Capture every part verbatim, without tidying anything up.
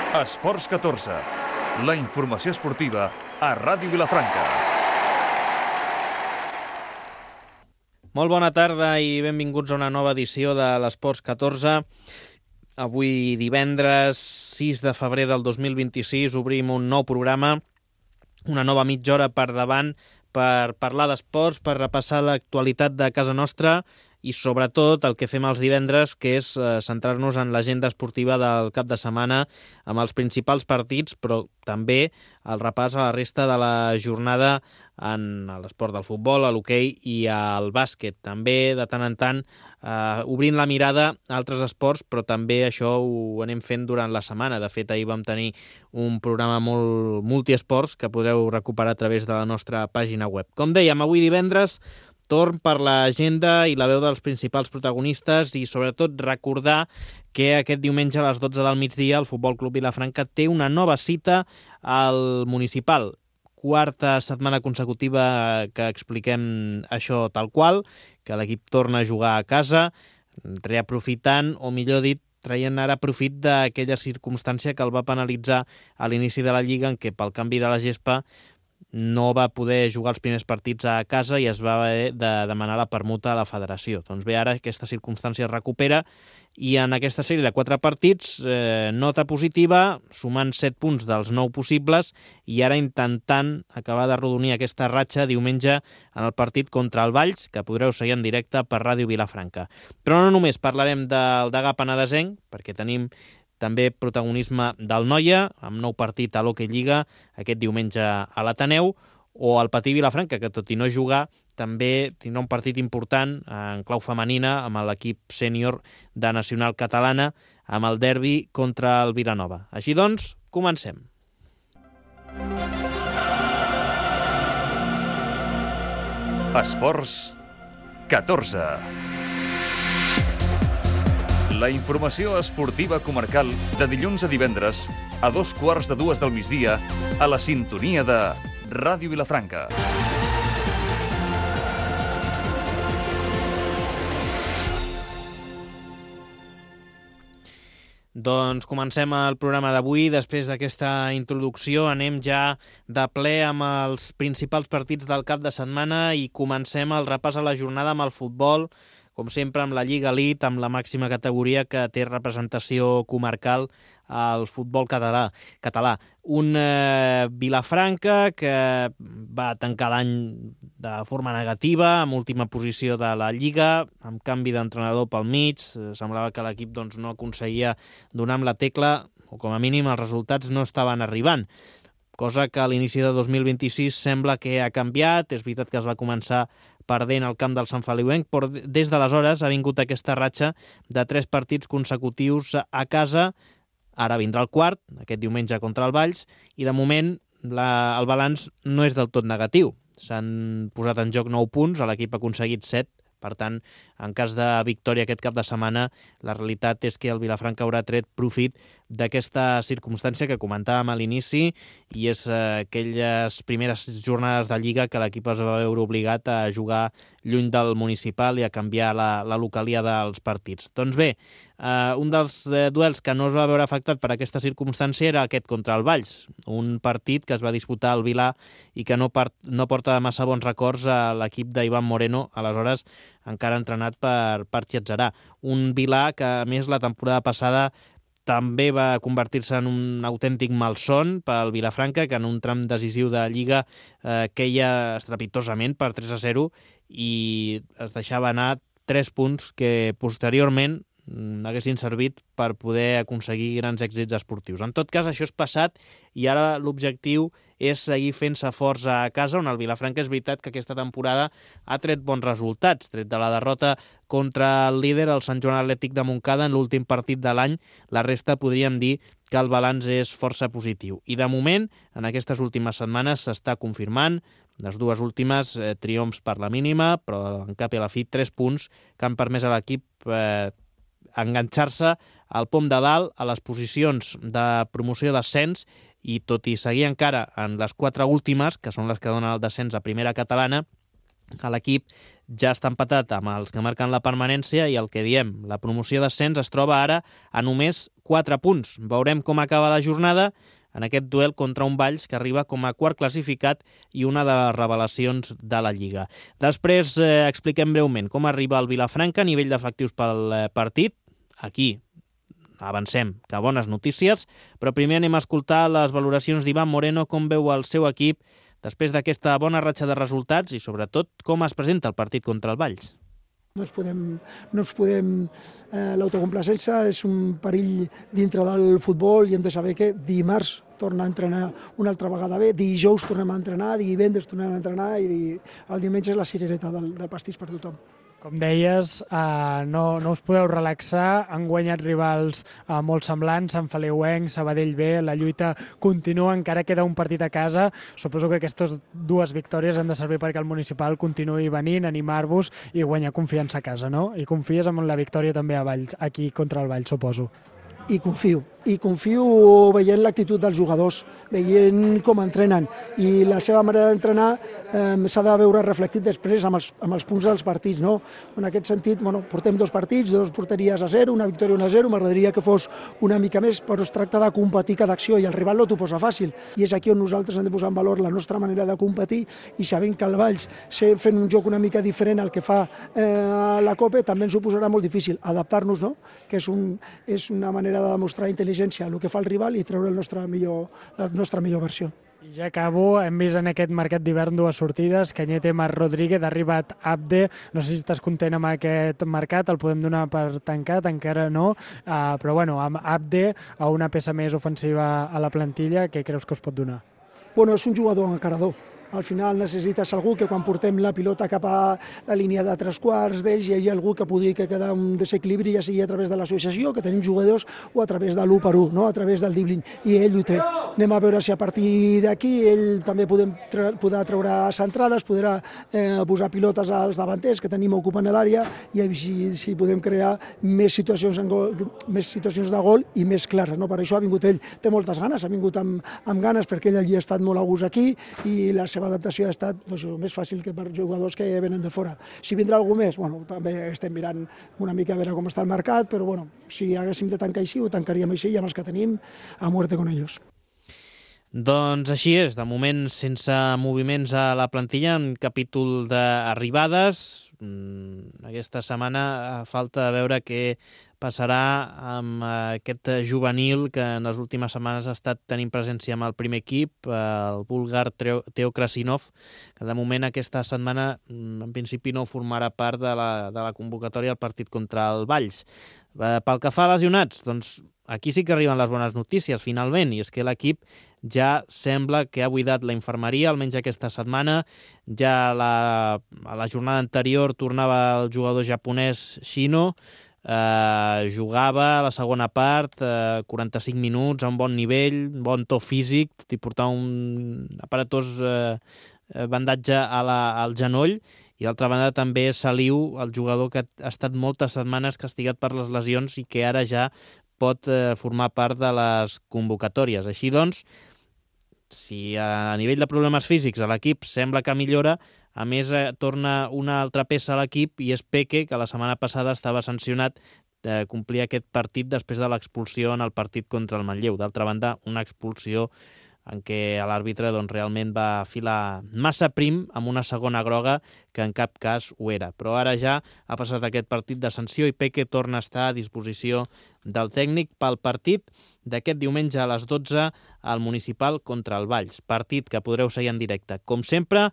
Esports catorze, la informació esportiva a Ràdio Vilafranca. Molt bona tarda i benvinguts a una nova edició de l'Esports catorze. Avui divendres sis de febrer del dos mil vint-i-sis obrim un nou programa, una nova mitja hora per davant per parlar d'esports, per repassar l'actualitat de casa nostra i sobretot el que fem els divendres, que és eh, centrar-nos en l'agenda esportiva del cap de setmana amb els principals partits, però també el repàs a la resta de la jornada en l'esport del futbol, a l'hoquei i al bàsquet. També, de tant en tant, eh, obrint la mirada a altres esports, però també això ho anem fent durant la setmana. De fet, ahir vam tenir un programa molt multiesports que podreu recuperar a través de la nostra pàgina web. Com dèiem, avui divendres, torn per l'agenda i la veu dels principals protagonistes i sobretot recordar que aquest diumenge a les dotze del migdia el Futbol Club Vilafranca té una nova cita al Municipal. Quarta setmana consecutiva que expliquem això tal qual, que l'equip torna a jugar a casa, reaprofitant, o millor dit, traient ara profit d'aquella circumstància que el va penalitzar a l'inici de la Lliga, en què pel canvi de la gespa no va poder jugar els primers partits a casa i es va haver de demanar la permuta a la federació. Doncs bé, ara aquesta circumstància es recupera i en aquesta sèrie de quatre partits, eh, nota positiva, sumant set punts dels nou possibles i ara intentant acabar de rodonir aquesta ratxa diumenge en el partit contra el Valls, que podreu seguir en directe per Ràdio Vilafranca. Però no només parlarem del Degà Penedesenc, perquè tenim també protagonisme del Noia, amb nou partit a l'Hockey Lliga aquest diumenge a l'Ateneu, o el Patí Vilafranca, que tot i no jugar, també tindrà un partit important en clau femenina amb l'equip sènior de Nacional Catalana, amb el derbi contra el Vilanova. Així doncs, comencem. Esports catorze. La informació esportiva comarcal de dilluns a divendres a dos quarts de dues del migdia a la sintonia de Ràdio Vilafranca. Doncs comencem el programa d'avui. Després d'aquesta introducció anem ja de ple amb els principals partits del cap de setmana i comencem el repàs a la jornada amb el futbol, com sempre amb la Lliga Elite, amb la màxima categoria que té representació comarcal al futbol català. català. Un eh, Vilafranca que va tancar l'any de forma negativa, amb última posició de la Lliga, amb canvi d'entrenador pel mig. Semblava que l'equip doncs, no aconseguia donar amb la tecla, o com a mínim els resultats no estaven arribant. Cosa que a l'inici de dos mil vint-i-sis sembla que ha canviat. És veritat que es va començar perdent el camp del Sant Feliuenc, però des d'aleshores ha vingut aquesta ratxa de tres partits consecutius a casa. Ara vindrà el quart, aquest diumenge contra el Valls, i de moment la, el balanç no és del tot negatiu. S'han posat en joc nou punts, l'equip ha aconseguit set. Per tant, en cas de victòria aquest cap de setmana, la realitat és que el Vilafranca haurà tret profit d'aquesta circumstància que comentàvem a l'inici, i és eh, aquelles primeres jornades de Lliga que l'equip es va veure obligat a jugar lluny del Municipal i a canviar la, la localia dels partits. Doncs bé, eh, un dels eh, duels que no es va veure afectat per aquesta circumstància era aquest contra el Valls, un partit que es va disputar al Vilà i que no, part, no porta massa bons records a l'equip d'Ivan Moreno, aleshores encara entrenat per, per Chiatzarà. Un Vilà que, a més, la temporada passada també va convertir-se en un autèntic malson pel Vilafranca, que en un tram decisiu de Lliga eh, queia estrepitosament per tres a zero i es deixava anar tres punts que posteriorment haguessin servit per poder aconseguir grans èxits esportius. En tot cas, això és passat i ara l'objectiu és seguir fent-se forts a casa, on el Vilafranca és veritat que aquesta temporada ha tret bons resultats. Tret de la derrota contra el líder, el Sant Joan Atlètic de Montcada, en l'últim partit de l'any, la resta podríem dir que el balanç és força positiu. I de moment, en aquestes últimes setmanes s'està confirmant, les dues últimes eh, triomfs per la mínima, però en cap i a la fi tres punts que han permès a l'equip eh, enganxar-se al pom de dalt a les posicions de promoció d'ascens i tot i seguir encara en les quatre últimes, que són les que donen el descens a primera catalana, L'equip ja està empatat amb els que marquen la permanència i el que diem, la promoció d'ascens es troba ara a només quatre punts. Veurem com acaba la jornada en aquest duel contra un Valls que arriba com a quart classificat i una de les revelacions de la Lliga. Després eh, expliquem breument com arriba el Vilafranca a nivell d'efectius pel eh, partit. Aquí avancem que bones notícies, però primer anem a escoltar les valoracions d'Ivan Moreno, com veu el seu equip després d'aquesta bona ratxa de resultats i sobretot com es presenta el partit contra el Valls. No ens podem, no ens podem eh, l'autocomplacència és un perill dintre del futbol i hem de saber que dimarts torna a entrenar una altra vegada bé, dijous tornem a entrenar, divendres tornem a entrenar i el diumenge és la cirereta del, del pastís per tothom. Com deies, eh, no, no us podeu relaxar, han guanyat rivals eh, molt semblants, Sant Feliuenc, Sabadell B, la lluita continua, encara queda un partit a casa. Suposo que aquestes dues victòries han de servir perquè el municipal continuï venint, animar-vos i guanyar confiança a casa, no? I confies en la victòria també a Valls, aquí contra el Valls, suposo. I confio, i confio veient l'actitud dels jugadors, veient com entrenen i la seva manera d'entrenar eh, s'ha de veure reflectit després amb els, amb els punts dels partits, no? En aquest sentit, bueno, portem dos partits, dos porteries a zero, una victòria una a zero, m'agradaria que fos una mica més, però es tracta de competir cada acció i el rival no t'ho posa fàcil i és aquí on nosaltres hem de posar en valor la nostra manera de competir i sabent que el Valls, fent un joc una mica diferent al que fa eh, la Copa, també ens ho posarà molt difícil, adaptar-nos, no? Que és, un, és una manera de demostrar intel·ligència a el que fa el rival i treure el nostre millor, la nostra millor versió. I ja acabo, hem vist en aquest mercat d'hivern dues sortides, Cañete, Marc Rodríguez, ha arribat Abde, no sé si estàs content amb aquest mercat, el podem donar per tancat, encara no, uh, però bueno, amb Abde, a una peça més ofensiva a la plantilla, què creus que us pot donar? Bueno, és un jugador encarador. Al final necessites algú que quan portem la pilota cap a la línia de tres quarts d'ells hi hagi algú que pugui quedar un desequilibri, ja sigui a través de l'associació, que tenim jugadors, o a través de l'u per u, no? A través del dribbling, i ell ho té. Anem a veure si a partir d'aquí ell també podem tra podrà treure centrades, podrà eh, posar pilotes als davanters que tenim ocupant l'àrea i si, si podem crear més situacions, en gol, més situacions de gol i més clares, no? Per això ha vingut ell, té moltes ganes, ha vingut amb, amb ganes perquè ell havia estat molt a gust aquí i la seva adaptació ha estat doncs, més fàcil que per jugadors que venen de fora. Si vindrà algú més, bueno, també estem mirant una mica a veure com està el mercat, però bueno, si haguéssim de tancar així, ho tancaríem així i amb els que tenim a muerte con ellos. Doncs així és, de moment sense moviments a la plantilla, en capítol d'arribades. Aquesta setmana falta veure què passarà amb aquest juvenil que en les últimes setmanes ha estat tenint presència amb el primer equip, el búlgar Teo Krasinov, que de moment aquesta setmana en principi no formarà part de la, de la convocatòria al partit contra el Valls. Pel que fa a lesionats, doncs aquí sí que arriben les bones notícies, finalment, i és que l'equip ja sembla que ha buidat la infermeria, almenys aquesta setmana. Ja la, a la jornada anterior tornava el jugador japonès Shino, eh, jugava a la segona part, eh, quaranta-cinc minuts, a un bon nivell, un bon to físic, tot i portar un aparatós eh, bandatge a la, al genoll. I d'altra banda també Saliu, el jugador que ha estat moltes setmanes castigat per les lesions i que ara ja pot eh, formar part de les convocatòries. Així doncs, si a nivell de problemes físics a l'equip sembla que millora, a més eh, torna una altra peça a l'equip i és Peque, que la setmana passada estava sancionat de complir aquest partit després de l'expulsió en el partit contra el Manlleu. D'altra banda, una expulsió en què l'àrbitre doncs, realment va filar massa prim amb una segona groga que en cap cas ho era. Però ara ja ha passat aquest partit de sanció i Peque torna a estar a disposició del tècnic pel partit d'aquest diumenge a les dotze al Municipal contra el Valls. Partit que podreu seguir en directe, com sempre,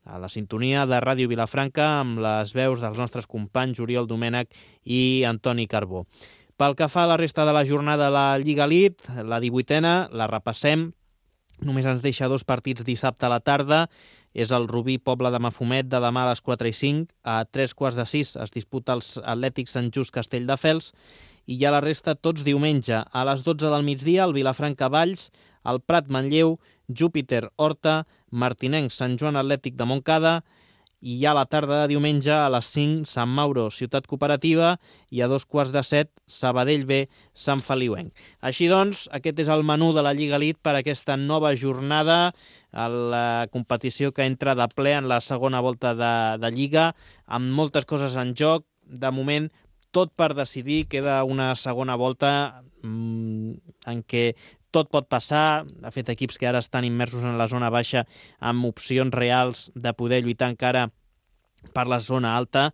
a la sintonia de Ràdio Vilafranca amb les veus dels nostres companys Oriol Domènech i Antoni Carbó. Pel que fa a la resta de la jornada de la Lliga Elite, la divuitena, la repassem. Només ens deixa dos partits dissabte a la tarda. És el Rubí Pobla de Mafumet de demà a les quatre i cinc. A tres quarts de sis es disputa els Atlètics Sant Just Castelldefels. I ja la resta tots diumenge. A les dotze del migdia, el Vilafranca Valls, el Prat Manlleu, Júpiter Horta, Martinenc Sant Joan Atlètic de Montcada i ja a la tarda de diumenge a les cinc Sant Mauro, Ciutat Cooperativa, i a dos quarts de set Sabadell B, Sant Feliuenc. Així doncs, aquest és el menú de la Lliga Elite per a aquesta nova jornada, a la competició que entra de ple en la segona volta de, de Lliga, amb moltes coses en joc. De moment, tot per decidir, queda una segona volta mmm, en què tot pot passar. De fet, equips que ara estan immersos en la zona baixa amb opcions reals de poder lluitar encara per la zona alta,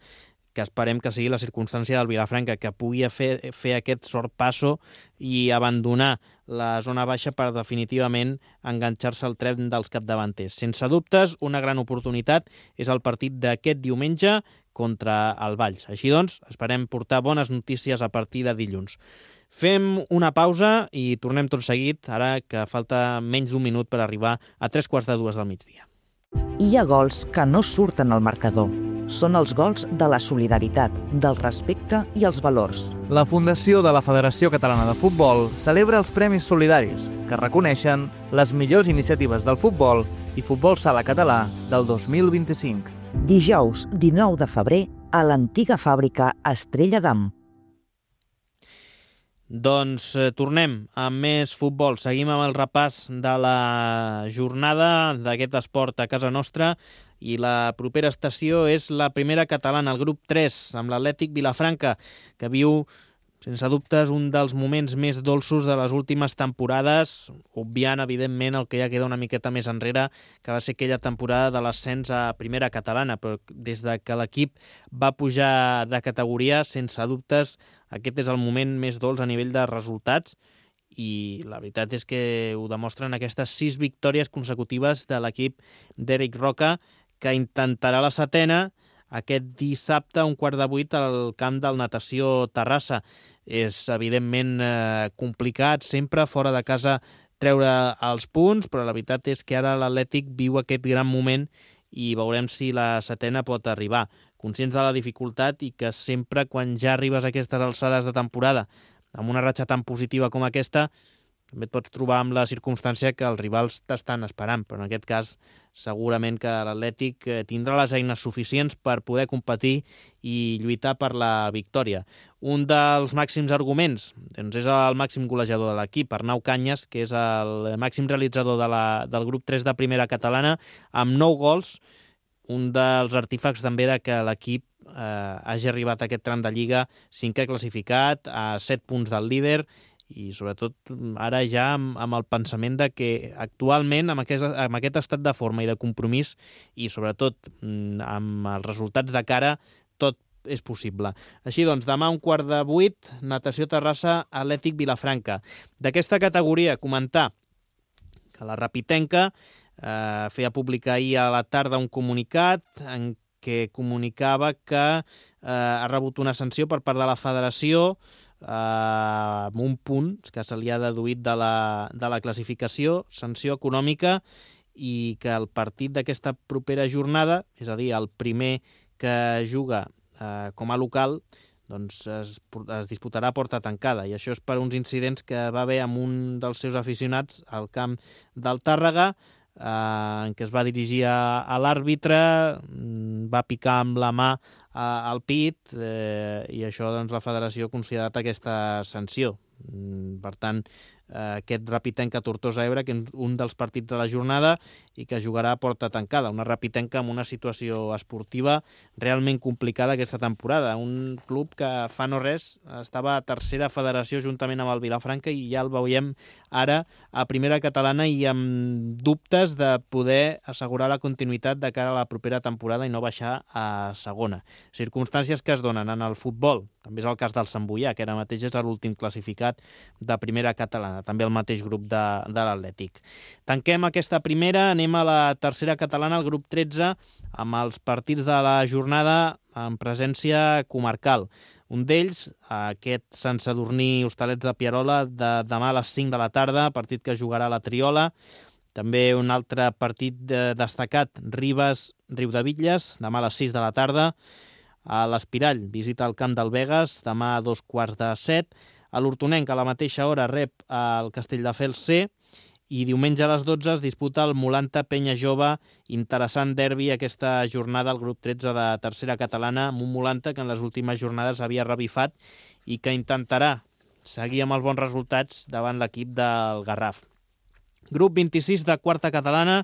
que esperem que sigui la circumstància del Vilafranca, que pugui fer, fer aquest sorpasso i abandonar la zona baixa per definitivament enganxar-se al tren dels capdavanters. Sense dubtes, una gran oportunitat és el partit d'aquest diumenge contra el Valls. Així doncs, esperem portar bones notícies a partir de dilluns. Fem una pausa i tornem tot seguit, ara que falta menys d'un minut per arribar a tres quarts de dues del migdia. Hi ha gols que no surten al marcador. Són els gols de la solidaritat, del respecte i els valors. La Fundació de la Federació Catalana de Futbol celebra els Premis Solidaris, que reconeixen les millors iniciatives del futbol i futbol sala català del dos mil vint-i-cinc. Dijous dinou de febrer a l'antiga fàbrica Estrella d'Am. Doncs eh, tornem amb més futbol. Seguim amb el repàs de la jornada d'aquest esport a casa nostra i la propera estació és la primera catalana, el grup tres, amb l'Atlètic Vilafranca, que viu, sense dubtes, un dels moments més dolços de les últimes temporades, obviant, evidentment, el que ja queda una miqueta més enrere, que va ser aquella temporada de l'ascens a primera catalana, però des de que l'equip va pujar de categoria, sense dubtes, aquest és el moment més dolç a nivell de resultats i la veritat és que ho demostren aquestes sis victòries consecutives de l'equip d'Eric Roca, que intentarà la setena aquest dissabte a un quart de vuit al camp del Natació Terrassa. És, evidentment, eh, complicat sempre fora de casa treure els punts, però la veritat és que ara l'Atlètic viu aquest gran moment i veurem si la setena pot arribar. Conscients de la dificultat i que sempre quan ja arribes a aquestes alçades de temporada amb una ratxa tan positiva com aquesta, també et pots trobar amb la circumstància que els rivals t'estan esperant, però en aquest cas segurament que l'Atlètic tindrà les eines suficients per poder competir i lluitar per la victòria. Un dels màxims arguments doncs és el màxim golejador de l'equip, Arnau Canyes, que és el màxim realitzador de la, del grup tres de primera catalana, amb nou gols, un dels artífecs també de que l'equip eh, hagi arribat a aquest tram de Lliga cinquè classificat, a set punts del líder, i sobretot ara ja amb, amb el pensament de que actualment amb aquest, amb aquest estat de forma i de compromís i sobretot amb els resultats de cara tot és possible. Així doncs, demà un quart de vuit, Natació Terrassa, Atlètic Vilafranca. D'aquesta categoria, comentar que la Rapitenca eh, feia publicar ahir a la tarda un comunicat en què comunicava que eh, ha rebut una sanció per part de la federació Uh, amb un punt que se li ha deduït de la, de la classificació, sanció econòmica, i que el partit d'aquesta propera jornada, és a dir, el primer que juga uh, com a local, doncs es, es disputarà a porta tancada, i això és per uns incidents que va haver amb un dels seus aficionats al camp del Tàrrega, eh, en què es va dirigir a, a l'àrbitre, va picar amb la mà a, al pit, eh, i això doncs, la federació ha considerat aquesta sanció. Per tant, eh, aquest Rapitenca Tortosa Ebre, que és un dels partits de la jornada i que jugarà a porta tancada. Una Rapitenca amb una situació esportiva realment complicada aquesta temporada. Un club que fa no res estava a tercera federació juntament amb el Vilafranca i ja el veiem ara a primera catalana i amb dubtes de poder assegurar la continuïtat de cara a la propera temporada i no baixar a segona. Circumstàncies que es donen en el futbol. També és el cas del Sant Boià, que ara mateix és l'últim classificat de primera catalana, també el mateix grup de, de l'Atlètic. Tanquem aquesta primera, anem a la tercera catalana, el grup tretze, amb els partits de la jornada en presència comarcal. Un d'ells, aquest Sant Sadurní Hostalets de Pierola, de demà a les cinc de la tarda, partit que jugarà a la Triola. També un altre partit destacat, Ribes Riudebitlles, demà a les sis de la tarda. A l'Espirall visita el camp del Begues, demà a dos quarts de set. A l'Hortonenc, a la mateixa hora, rep el Castelldefels C. I diumenge a les dotze es disputa el Molanta Penya Jove, interessant derbi aquesta jornada al grup tretze de tercera catalana, amb un Molanta que en les últimes jornades havia revifat i que intentarà seguir amb els bons resultats davant l'equip del Garraf. Grup vint-i-sis de quarta catalana,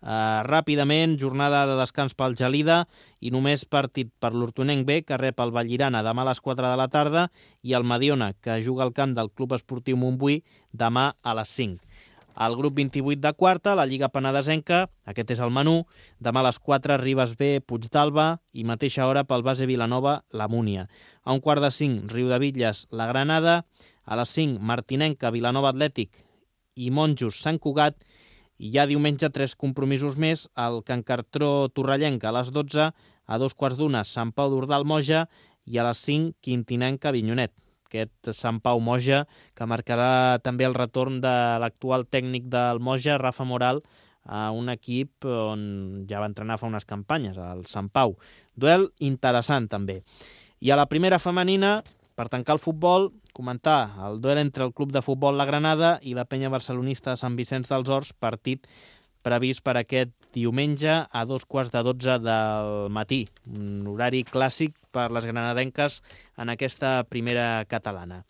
Uh, ràpidament, jornada de descans pel Gelida i només partit per l'Hortonenc B, que rep el Vallirana demà a les quatre de la tarda, i el Mediona, que juga al camp del Club Esportiu Montbui demà a les cinc. Al grup vint-i-vuit de quarta, la Lliga Penedesenca, aquest és el menú, demà a les quatre, Ribes B, Puigdàlber, i mateixa hora pel base Vilanova, la Múnia. A un quart de cinc, Riudebitlles, la Granada, a les cinc, Martinenca, Vilanova Atlètic i Monjos, Sant Cugat, i ja diumenge tres compromisos més, el Can Cartró Torrellenca a les dotze, a dos quarts d'una Sant Pau d'Ordal Moja i a les cinc Quintinenca Avinyonet. Aquest Sant Pau Moja que marcarà també el retorn de l'actual tècnic del Moja, Rafa Moral, a un equip on ja va entrenar fa unes campanyes, el Sant Pau. Duel interessant també. I a la primera femenina, per tancar el futbol, comentar el duel entre el Club de Futbol La Granada i la penya barcelonista de Sant Vicenç dels Horts, partit previst per aquest diumenge a dos quarts de dotze del matí. Un horari clàssic per les granadenques en aquesta primera catalana.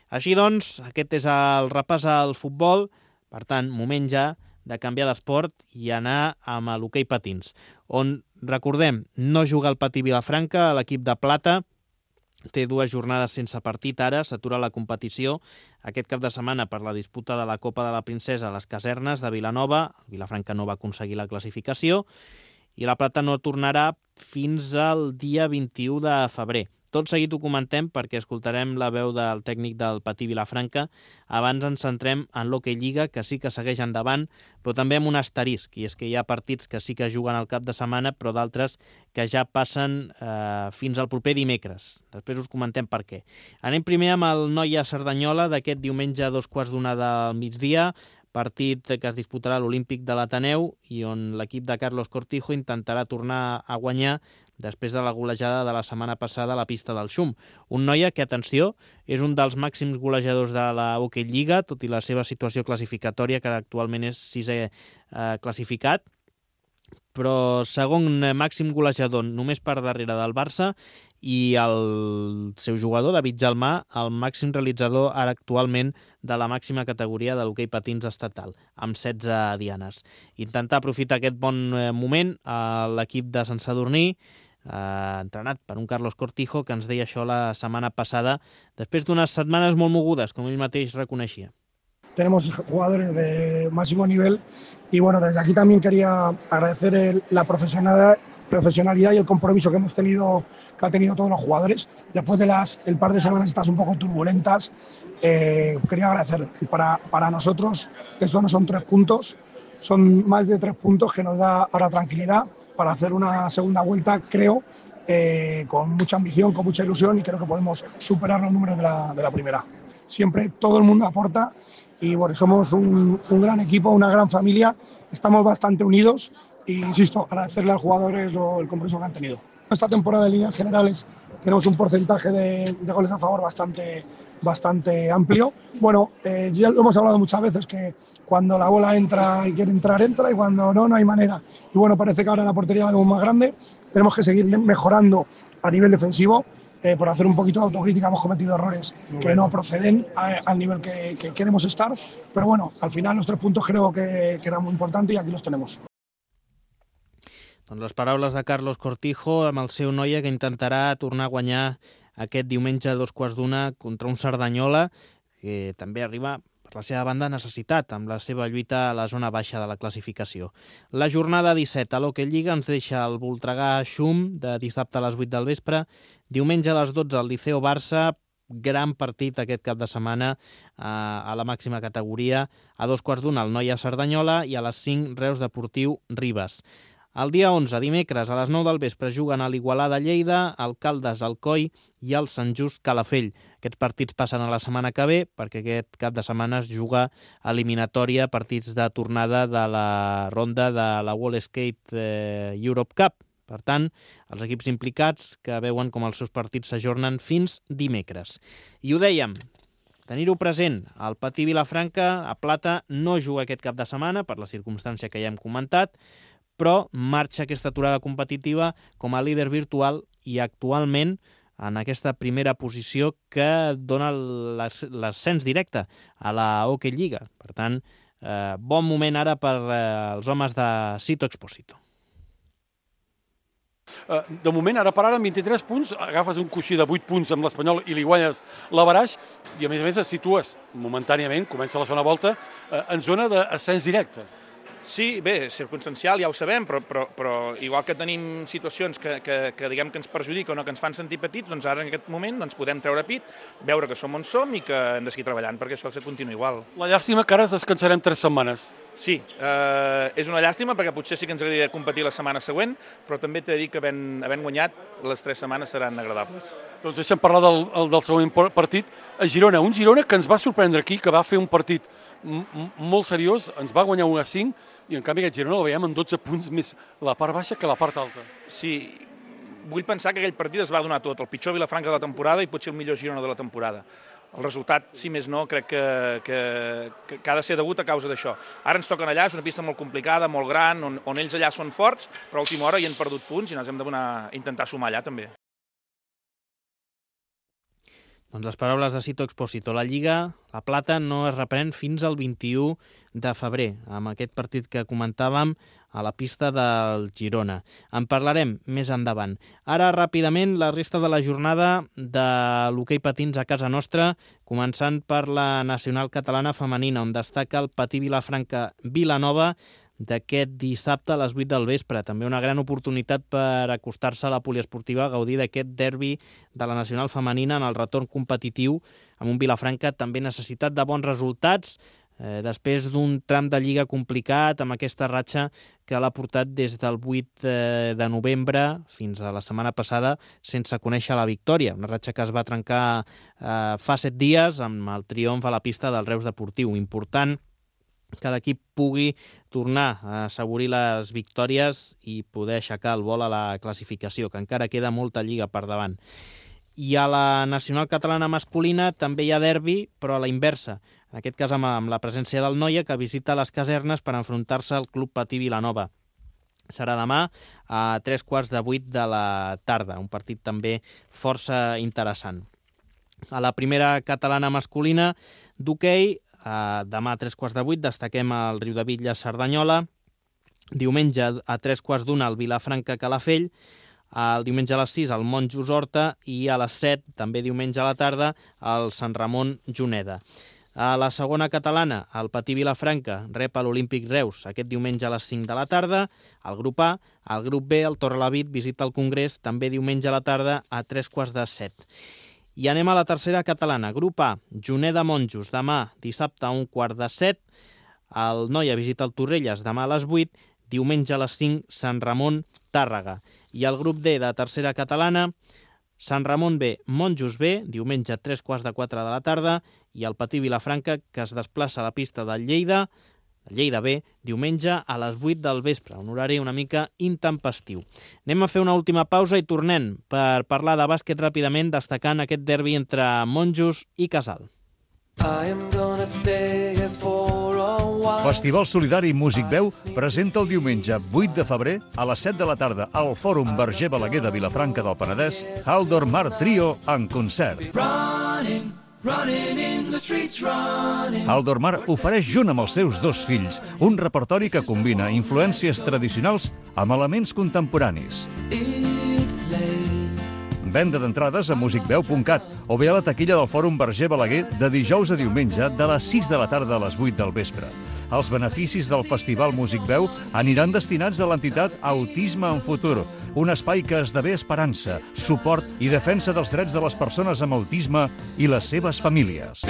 Així doncs, aquest és el repàs al futbol. Per tant, moment ja de canviar d'esport i anar amb l'hoquei patins, on, recordem, no juga el Patí Vilafranca, l'equip de plata, té dues jornades sense partit ara, s'atura la competició aquest cap de setmana per la disputa de la Copa de la Princesa a les casernes de Vilanova. Vilafranca no va aconseguir la classificació i la plata no tornarà fins al dia vint-i-u de febrer. Tot seguit ho comentem perquè escoltarem la veu del tècnic del Patí Vilafranca. Abans ens centrem en l'Hockey Lliga, que sí que segueix endavant, però també amb un asterisc, i és que hi ha partits que sí que juguen al cap de setmana, però d'altres que ja passen eh, fins al proper dimecres. Després us comentem per què. Anem primer amb el Noia Cerdanyola d'aquest diumenge a dos quarts d'una del migdia, partit que es disputarà a l'Olímpic de l'Ateneu i on l'equip de Carlos Cortijo intentarà tornar a guanyar després de la golejada de la setmana passada a la pista del Xum. Un Noia que, atenció, és un dels màxims golejadors de la Hockey Lliga, tot i la seva situació classificatòria, que actualment és sisè eh, classificat, però segon màxim golejador només per darrere del Barça, i el seu jugador, David Gelmà, el màxim realitzador ara actualment de la màxima categoria de l'hoquei patins estatal, amb setze dianes. Intentar aprofitar aquest bon moment a l'equip de Sant Sadurní, eh, entrenat per un Carlos Cortijo, que ens deia això la setmana passada, després d'unes setmanes molt mogudes, com ell mateix reconeixia. Tenemos jugadores de máximo nivel y bueno, desde aquí también quería agradecer el, la profesionalidad, profesionalidad y el compromiso que hemos tenido, que han tenido todos los jugadores. Después de las el par de semanas estas un poco turbulentas, eh, quería agradecer. Para, para nosotros estos no son tres puntos, son más de tres puntos que nos da ahora tranquilidad para hacer una segunda vuelta, creo, eh, con mucha ambición, con mucha ilusión, y creo que podemos superar los números de la, de la primera. Siempre todo el mundo aporta. Y bueno, somos un, un gran equipo, una gran familia, estamos bastante unidos e insisto, agradecerle a los jugadores lo, el compromiso que han tenido. Esta temporada en líneas generales tenemos un porcentaje de, de goles a favor bastante, bastante amplio. Bueno, eh, ya lo hemos hablado muchas veces que cuando la bola entra y quiere entrar, entra, y cuando no, no hay manera. Y bueno, parece que ahora la portería la vemos más grande, tenemos que seguir mejorando a nivel defensivo. Eh, por hacer un poquito de autocrítica hemos cometido errores que no proceden a, al nivel que, que queremos estar, pero bueno, al final los tres puntos creo que, que eran muy importantes y aquí los tenemos. Doncs les paraules de Carlos Cortijo amb el seu Noia, que intentarà tornar a guanyar aquest diumenge a dos quarts d'una contra un Cerdanyola, que també arriba per la seva banda necessitat amb la seva lluita a la zona baixa de la classificació. La jornada disset a l'Hockey Lliga ens deixa el Voltregà Xum de dissabte a les vuit del vespre, diumenge a les dotze al Liceo Barça, gran partit aquest cap de setmana a la màxima categoria, a dos quarts d'una al Noia Cerdanyola i a les cinc Reus Deportiu Ribes. El dia onze, dimecres, a les nou del vespre, juguen a l'Igualada Lleida, el Caldes Alcoi i el Sant Just Calafell. Aquests partits passen a la setmana que ve, perquè aquest cap de setmana es juga eliminatòria, partits de tornada de la ronda de la World Skate eh, Europe Cup. Per tant, els equips implicats que veuen com els seus partits s'ajornen fins dimecres. I ho dèiem, tenir-ho present. El Patí Vilafranca, a Plata, no juga aquest cap de setmana, per la circumstància que ja hem comentat, però marxa aquesta aturada competitiva com a líder virtual i actualment en aquesta primera posició que dona l'ascens directe a la Hockey Lliga. Per tant, eh, bon moment ara per eh, els homes de Sito Exposito. De moment, ara per ara, amb vint-i-tres punts, agafes un coixí de vuit punts amb l'Espanyol i li guanyes l'averaix i, a més a més, et situes momentàniament, comença la segona volta, en zona d'ascens directe. Sí, bé, circumstancial, ja ho sabem, però, però, però igual que tenim situacions que, que, que diguem que ens perjudiquen o que ens fan sentir petits, doncs ara en aquest moment doncs podem treure pit, veure que som on som i que hem de seguir treballant perquè això continua igual. La llàstima que ara descansarem tres setmanes. Sí, eh, és una llàstima perquè potser sí que ens agradaria competir la setmana següent, però també t'he de dir que havent, havent guanyat les tres setmanes seran agradables. Doncs deixa'm parlar del, del següent partit a Girona. Un Girona que ens va sorprendre aquí, que va fer un partit molt seriós, ens va guanyar un a cinc i en canvi aquest Girona el veiem en dotze punts més la part baixa que la part alta. Sí, vull pensar que aquell partit es va donar tot, el pitjor Vilafranca de la temporada i potser el millor Girona de la temporada. El resultat, si més no, crec que, que, que ha de ser degut a causa d'això. Ara ens toquen allà, és una pista molt complicada, molt gran, on, on ells allà són forts, però a última hora hi han perdut punts i ens hem de donar, intentar sumar allà també. Doncs les paraules de Sito Exposito. La Lliga, la Plata, no es reprèn fins al vint-i-u de febrer, amb aquest partit que comentàvem a la pista del Girona. En parlarem més endavant. Ara, ràpidament, la resta de la jornada de l'hoquei patins a casa nostra, començant per la nacional catalana femenina, on destaca el Patí Vilafranca Vilanova, d'aquest dissabte a les vuit del vespre. També una gran oportunitat per acostar-se a la poliesportiva a gaudir d'aquest derbi de la nacional femenina en el retorn competitiu, amb un Vilafranca també necessitat de bons resultats, eh, després d'un tram de lliga complicat, amb aquesta ratxa que l'ha portat des del vuit de novembre fins a la setmana passada sense conèixer la victòria. Una ratxa que es va trencar eh, fa set dies amb el triomf a la pista del Reus Deportiu. Important que l'equip pugui tornar a assaborir les victòries i poder aixecar el vol a la classificació, que encara queda molta lliga per davant. I a la nacional catalana masculina també hi ha derbi, però a la inversa. En aquest cas amb, amb la presència del Noia, que visita les casernes per enfrontar-se al Club Patí Vilanova. Serà demà a tres quarts de vuit de la tarda, un partit també força interessant. A la primera catalana masculina d'hoquei, Uh, demà a tres quarts de vuit destaquem el Riudebitlles Cerdanyola, diumenge a tres quarts d'una el Vilafranca Calafell, el diumenge a les sis el Monjos Horta i a les set, també diumenge a la tarda, el Sant Ramon Juneda. A la segona catalana, el Patí Vilafranca rep a l'Olímpic Reus aquest diumenge a les cinc de la tarda, el grup A, el grup B, el Torrelavit visita el Congrés també diumenge a la tarda a tres quarts de set. I anem a la tercera catalana. Grup A, Juneda Monjos, demà dissabte a un quart de set. El Noia visita el Torrelles demà a les vuit. Diumenge a les cinc, Sant Ramon, Tàrrega. I el grup D de tercera catalana, Sant Ramon B, Monjos B, diumenge a tres quarts de quatre de la tarda. I el Patí Vilafranca, que es desplaça a la pista del Lleida, el Lleida B, diumenge a les vuit del vespre, un horari una mica intempestiu. Anem a fer una última pausa i tornem per parlar de bàsquet ràpidament, destacant aquest derbi entre Monjos i Casal. Festival Solidari Músic Veu presenta el diumenge vuit de febrer a les set de la tarda al Fòrum Verger Balaguer de Vilafranca del Penedès Haldor Mar Trio en concert. Haldor Mar ofereix junt amb els seus dos fills un repertori que combina influències tradicionals amb elements contemporanis. Venda d'entrades a music veu punt cat o bé a la taquilla del Fòrum Verger Balaguer de dijous a diumenge de les sis de la tarda a les vuit del vespre. Els beneficis del Festival Músic Veu aniran destinats a l'entitat Autisme en Futur, un espai que esdevé esperança, suport i defensa dels drets de les persones amb autisme i les seves famílies.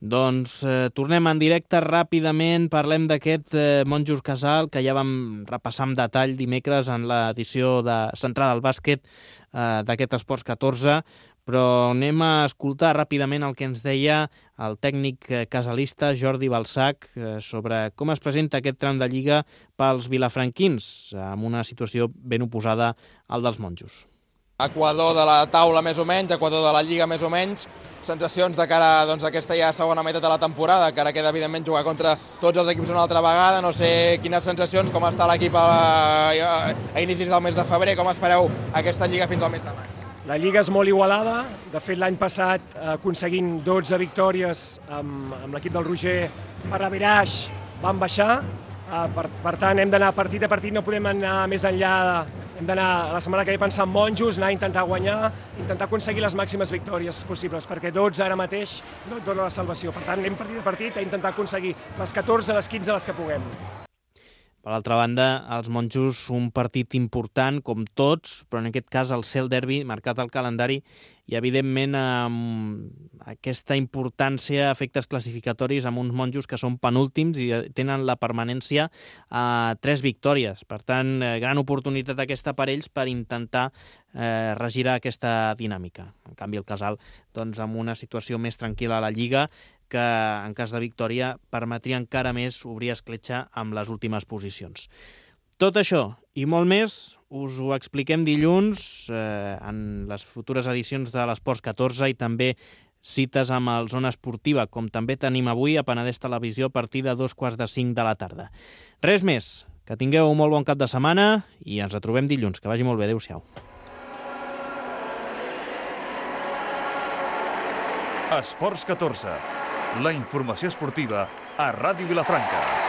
Doncs eh, tornem en directe ràpidament, parlem d'aquest eh, Monjos Casal que ja vam repassar amb detall dimecres en l'edició de centrada al bàsquet eh, d'aquest Esports catorze, Però anem a escoltar ràpidament el que ens deia el tècnic casalista Jordi Balsac sobre com es presenta aquest tram de Lliga pels vilafranquins, amb una situació ben oposada al dels monjos. Equador de la taula més o menys, Equador de la Lliga més o menys, sensacions de cara doncs, a aquesta ja segona meitat de la temporada, que ara queda evidentment jugar contra tots els equips una altra vegada, no sé quines sensacions, com està l'equip a, a, a inicis del mes de febrer, com espereu aquesta Lliga fins al mes de maig? La Lliga és molt igualada, de fet l'any passat aconseguint dotze victòries amb, amb l'equip del Roger per a Viraix van baixar, per, per tant hem d'anar partit a partit, no podem anar més enllà, hem d'anar la setmana que ve pensar en monjos, anar a intentar guanyar, intentar aconseguir les màximes victòries possibles, perquè dotze ara mateix no et dona la salvació, per tant anem partit a partit a intentar aconseguir les catorze, les quinze, les que puguem. Per l'altra banda, els monjos un partit important, com tots, però en aquest cas el Cel Derby, marcat al calendari, i evidentment amb aquesta importància, efectes classificatoris amb uns monjos que són penúltims i tenen la permanència a tres victòries. Per tant, gran oportunitat aquesta per ells per intentar eh, regirar aquesta dinàmica. En canvi, el Casal, doncs, amb una situació més tranquil·la a la Lliga, que en cas de victòria permetria encara més obrir escletxa amb les últimes posicions. Tot això i molt més us ho expliquem dilluns eh, en les futures edicions de l'Esports catorze i també cites amb el Zona Esportiva, com també tenim avui a Penedès Televisió a partir de dos quarts de cinc de la tarda. Res més, que tingueu un molt bon cap de setmana i ens retrobem dilluns. Que vagi molt bé, adéu-siau. Esports catorze. La informació esportiva a Ràdio Vilafranca.